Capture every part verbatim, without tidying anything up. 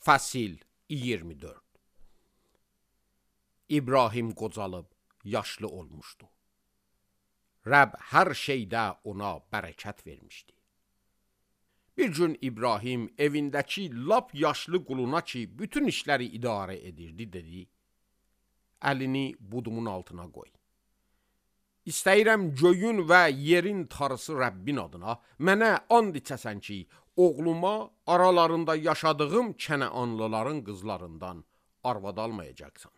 Fəsil iyirmi dörd. İbrahim qocalıb yaşlı olmuşdu. Rəbb hər şeydə ona bərəkət vermişdi. Bir gün İbrahim evindəki lap yaşlı quluna ki, bütün işləri idarə edirdi, dedi, əlini budumun altına qoy. İstəyirəm göyün və yerin tarısı Rəbbin adına, mənə and içəsən ki, oğluma aralarında yaşadığım Kənəanlıların qızlarından arvad almayacaqsan.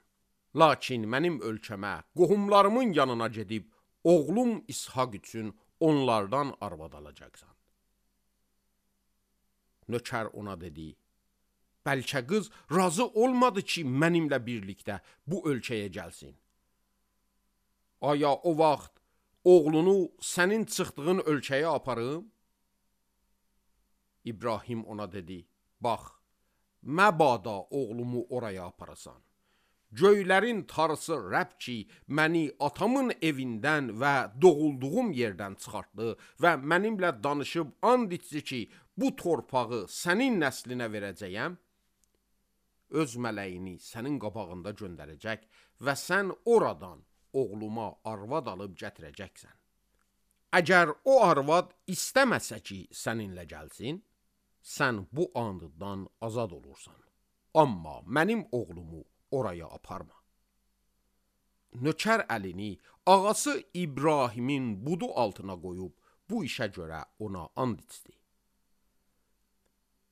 Lakin mənim ölkəmə, qohumlarımın yanına gedib, oğlum İshak üçün onlardan arvad alacaqsan. Nökər ona dedi, bəlkə qız razı olmadı ki, mənimlə birlikdə bu ölkəyə gəlsin. Aya o vaxt oğlunu sənin çıxdığın ölkəyə aparım? İbrahim ona dedi, bax, məbada oğlumu oraya aparasan. Göylərin tarısı Rəbb ki, məni atamın evindən və doğulduğum yerdən çıxartdı və mənimlə danışıb and içdi ki, bu torpağı sənin nəslinə verəcəyəm, öz mələyini sənin qabağında göndərəcək və sən oradan oğluma arvad alıb gətirəcəksən. Əgər o arvad istəməsə ki, səninlə gəlsin, sən bu anddan azad olursan. Amma mənim oğlumu oraya aparma. Nökər əlini ağası İbrahimin budu altına qoyub, bu işə görə ona and içdi.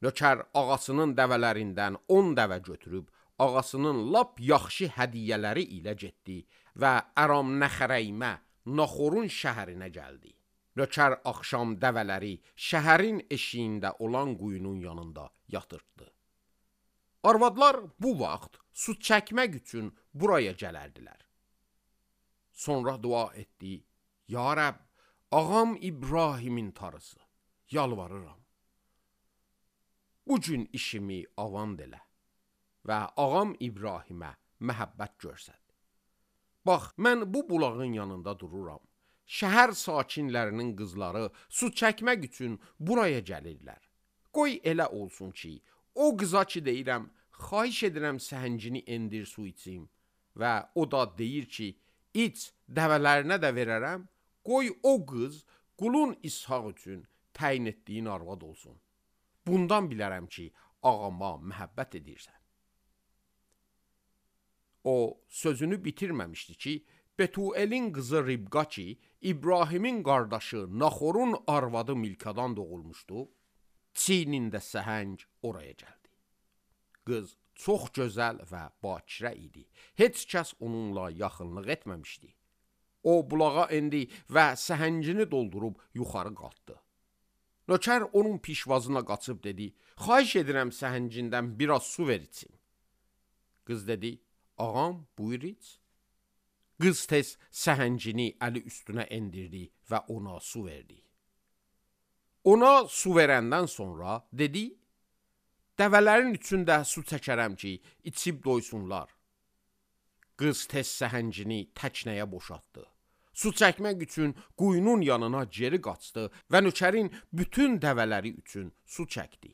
Nökər ağasının dəvələrindən on dəvə götürüb, ağasının lap yaxşı hədiyyələri ilə getdi və Əram Nəxərəymə, Naxorun şəhərinə gəldi. Nökər axşam dəvələri şəhərin eşiyində olan quyunun yanında yatırtdı. Arvadlar bu vaxt su çəkmək üçün buraya gələrdilər. Sonra dua etdi, ya Rəbb, ağam İbrahimin tarısı, yalvarıram. Bu gün işimi avand elə və ağam İbrahimə məhəbbət görsət. Bax, mən bu bulağın yanında dururam. Şəhər sakinlərinin qızları su çəkmək üçün buraya gəlirlər. Qoy elə olsun ki, o qıza ki deyirəm, xahiş edirəm səhəncini endir su içim və o da deyir ki, iç, dəvələrinə də verərəm, qoy o qız qulun İshak üçün təyin etdiyin arvad olsun. Bundan bilərəm ki, ağama məhəbbət edirsən. O sözünü bitirməmişdi ki, Betuelin qızı Ribqa ki, İbrahimin qardaşı Naxorun arvadı Milkadan doğulmuşdu, çiynində səhəng oraya gəldi. Qız çox gözəl və bakirə idi. Heç kəs onunla yaxınlıq etməmişdi. O bulağa endi və səhəngini doldurub yuxarı qalxdı. Nökər onun pişvazına qaçıb dedi, xahiş edirəm səhəngindən biraz su ver içim. Qız dedi, ağam buyur iç. Qız tez səhəngini əli üstünə endirdi və ona su verdi. Ona su verəndən sonra dedi, dəvələrin içində su çəkərəm ki, içib doysunlar. Qız tez səhəngini təknəyə boşaltdı. Su çəkmək üçün quyunun yanına geri qaçdı və nökərin bütün dəvələri üçün su çəkdi.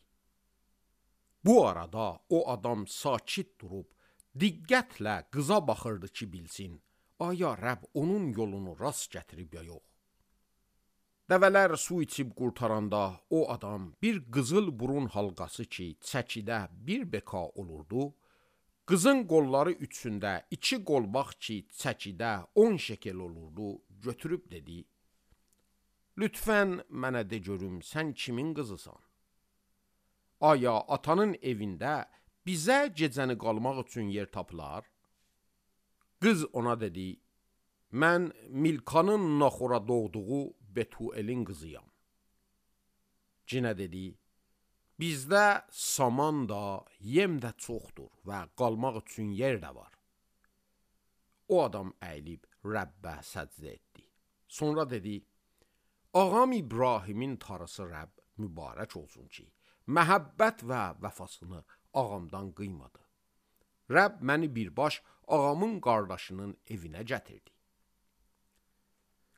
Bu arada o adam sakit durub, diqqətlə qıza baxırdı ki, bilsin, aya Rəbb onun yolunu rast gətirib ya yox. Dəvələr su içib qurtaranda o adam bir qızıl burun halqası ki, çəkidə bir beka olurdu, qızın qolları üçündə iki qolbaq ki, çəkidə on şekel olurdu, götürüb dedi, lütfən mənə de görüm, sən kimin qızısan? Aya atanın evində bizə gecəni qalmaq üçün yer tapılar? Qız ona dedi, mən Milkanın Naxora doğduğu Betuelin qızıyam. Cinə dedi, bizdə saman da, yem də çoxdur və qalmaq üçün yer də var. O adam əyilib Rəbbə səcdə etdi. Sonra dedi, ağam İbrahimin tarısı Rəbb mübarək olsun ki, məhəbbət və vəfasını ağamdan qıymadı. Rəbb məni birbaş ağamın qardaşının evinə gətirdi.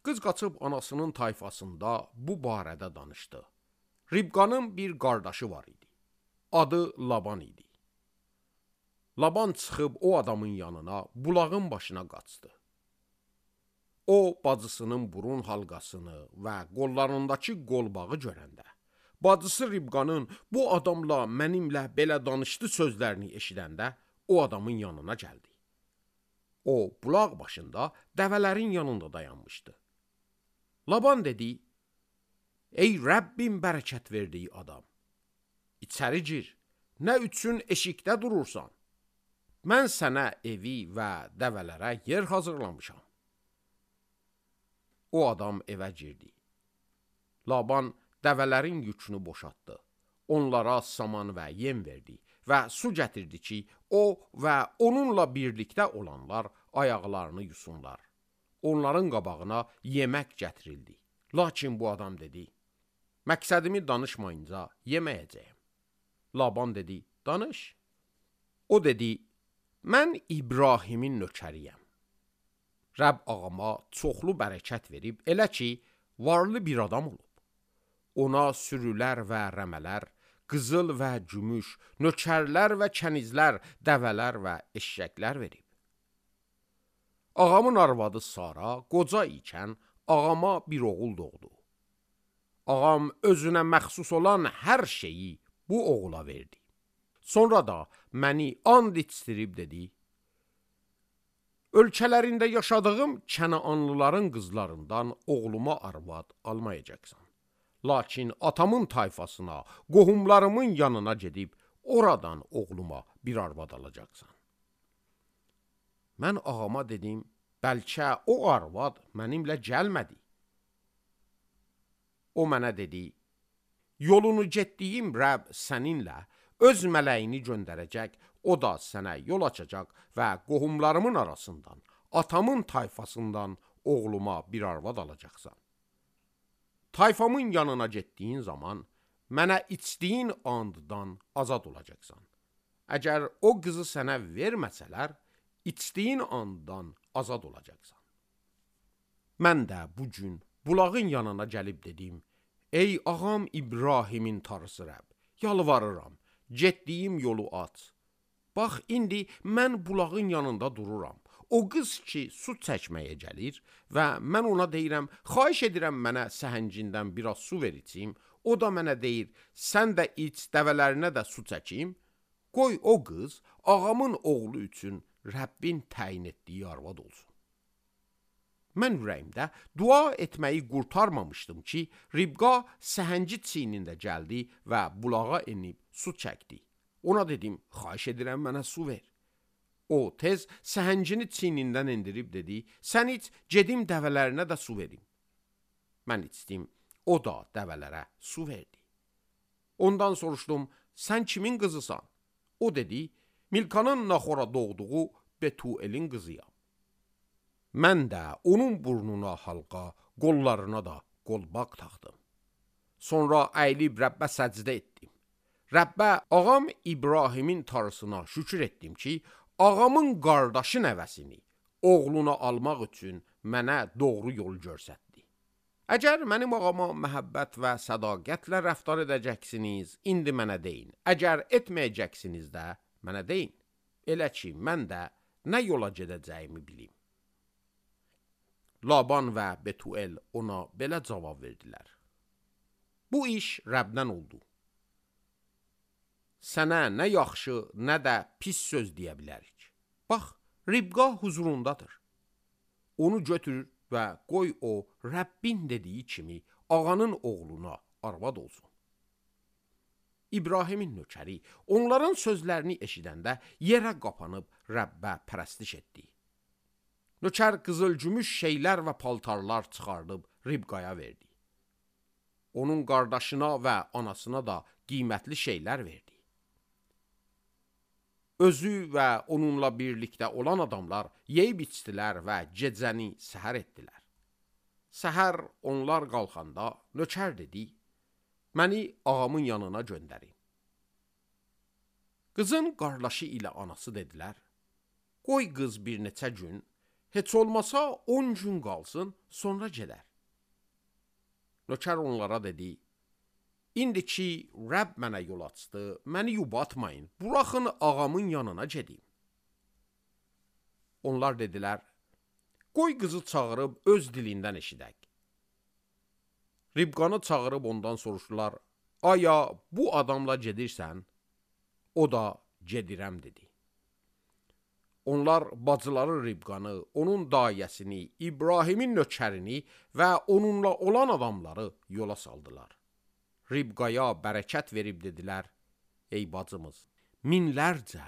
Qız qaçıb anasının tayfasında bu barədə danışdı. Ribqanın bir qardaşı var idi. Adı Laban idi. Laban çıxıb o adamın yanına, bulağın başına qaçdı. O, bacısının burun halqasını və qollarındakı qolbağı görəndə, bacısı Ribqanın bu adamla mənimlə belə danışdı sözlərini eşidəndə, o adamın yanına gəldi. O, bulaq başında dəvələrin yanında dayanmışdı. Laban dedi, ey Rəbbim bərəkət verdiyi adam, içəri gir, nə üçün eşikdə durursan? Mən sənə evi və dəvələrə yer hazırlamışam. O adam evə girdi. Laban dəvələrin yükünü boşaltdı. Onlara saman və yem verdi və su gətirdi ki, o və onunla birlikdə olanlar ayaqlarını yusunlar. Onların qabağına yemək gətirildi. Lakin bu adam dedi, məqsədimi danışmayınca yeməyəcəyim. Laban dedi, danış. O dedi, mən İbrahimin nökəriyəm. Rəbb ağama çoxlu bərəkət verib, elə ki, varlı bir adam olub. Ona sürülər və rəmələr, qızıl və gümüş, nökərlər və kənizlər, dəvələr və eşşəklər verib. Ağamın arvadı Sara qoca ikən ağama bir oğul doğdu. Ağam özünə məxsus olan hər şeyi bu oğula verdi. Sonra da məni and içdirib dedi, ölkələrində yaşadığım Kənaanlıların qızlarından oğluma arvad almayacaqsan. Lakin atamın tayfasına, qohumlarımın yanına gedib, oradan oğluma bir arvad alacaqsan. Mən ağama dedim, bəlkə o arvad mənimlə gəlmədi. O mənə dedi, yolunu getdiyim Rəbb səninlə öz mələyini göndərəcək, o da sənə yol açacaq və qohumlarımın arasından, atamın tayfasından oğluma bir arvad alacaqsan. Tayfamın yanına getdiyin zaman, mənə içdiyin anddan azad olacaqsan. Əgər o qızı sənə verməsələr, içdiyin anddan azad olacaqsan. Mən də bu gün bulağın yanına gəlib dedim, ey ağam İbrahimin tarısı Rəbb, yalvarıram, getdiyim yolu aç. Bax, indi mən bulağın yanında dururam. O qız ki, su çəkməyə gəlir və mən ona deyirəm, xahiş edirəm mənə səhəngindən biraz su ver içim. O da mənə deyir, sən də iç, dəvələrinə də su çəkim. Qoy o qız ağamın oğlu üçün Rəbbin təyin etdiyi arvad olsun. Mən ürəyimdə dua etməyi qurtarmamışdım ki, Ribqa səhəngi çiynində gəldi və bulağa enib su çəkdi. Ona dedim, xahiş edirəm mənə su ver. O tez səhəngini çiynindən endirib dedi, sən iç, gedim dəvələrinə də su verim. Mən içdim, o da dəvələrə su verdi. Ondan soruşdum, sən kimin qızısan? O dedi, Milkanın Naxora doğduğu Betuelin qızıyam. Mən də onun burnuna halqa, qollarına da qolbaq taxdım. Sonra əyilib Rəbbə səcdə etdim. Rəbbə ağam İbrahimin tarısına şükür etdim ki, ağamın qardaşı nəvəsini oğluna almaq üçün mənə doğru yol göstərdi. Əgər mənim ağama məhəbbət və sədaqətlə rəftar edəcəksiniz, indi mənə deyin. Əgər etməyəcəksiniz də mənə deyin. Elə ki, mən də nə yola gedəcəyimi bilim. Laban və Betuel ona belə cavab verdilər. Bu iş Rəbdən oldu. Sənə nə yaxşı, nə də pis söz deyə bilərik. Bax, Ribqa huzurundadır. Onu götür və qoy o, Rəbbin dediyi kimi ağanın oğluna arvad olsun. İbrahimin nökəri onların sözlərini eşidəndə yerə qapanıb Rəbbə pərəstiş etdi. Nökər qızıl-gümüş şeylər və paltarlar çıxardıb Ribqaya verdi. Onun qardaşına və anasına da qiymətli şeylər verdi. Özü və onunla birlikdə olan adamlar yeyib içdilər və gecəni səhər etdilər. Səhər onlar qalxanda nökər dedi, məni ağamın yanına göndərin. Qızın qardaşı ilə anası dedilər, qoy qız bir neçə gün, heç olmasa on gün qalsın, sonra gedər. Nökər onlara dedi, İndi ki, Rəbb mənə yol açdı, məni yubatmayın, buraxın ağamın yanına gedim. onlar dedilər, qoy qızı çağırıb öz dilindən eşidək. Ribqanı çağırıb ondan soruşdular, aya bu adamla gedirsən? O da gedirəm dedi. Onlar bacıları Ribqanı, onun dayəsini, İbrahimin nökərini və onunla olan adamları yola saldılar. Ribqaya bərəkət verib dedilər, ey bacımız, minlərcə,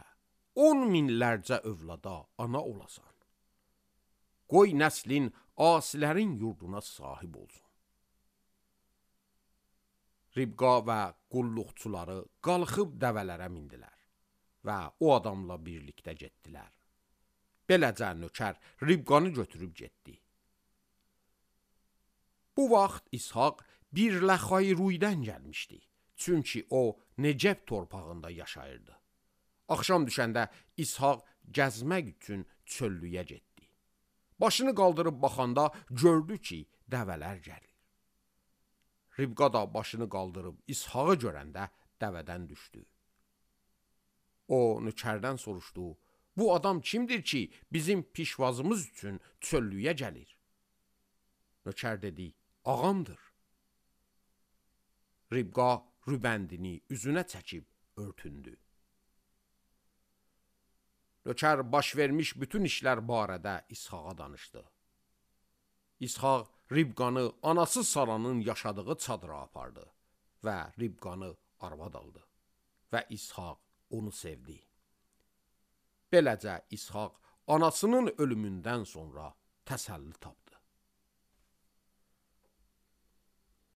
on minlərcə övlada ana olasan. Qoy nəslin asilərin yurduna sahib olsun. Ribqa və qulluqçuları qalxıb dəvələrə mindilər və o adamla birlikdə getdilər. Beləcə nökər Ribqanı götürüb getdi. Bu vaxt İshaq bir Ləxayruydən gəlmişdi, çünki o Necəb torpağında yaşayırdı. Axşam düşəndə İshaq gəzmək üçün çöllüyə getdi. Başını qaldırıb baxanda gördü ki, dəvələr gəlir. Ribqa da başını qaldırıb İshaqı görəndə dəvədən düşdü. O nökərdən soruşdu, bu adam kimdir ki, bizim pişvazımız üçün çöllüyə gəlir? Nökər dedi, ağamdır. Ribqa rübəndini üzünə çəkib örtündü. Nökər baş vermiş bütün işlər barədə İshaqa danışdı. İshaq Ribqanı anası Saranın yaşadığı çadıra apardı və Ribqanı arvad aldı və İshaq onu sevdi. Beləcə İshaq anasının ölümündən sonra təsəlli tapdı.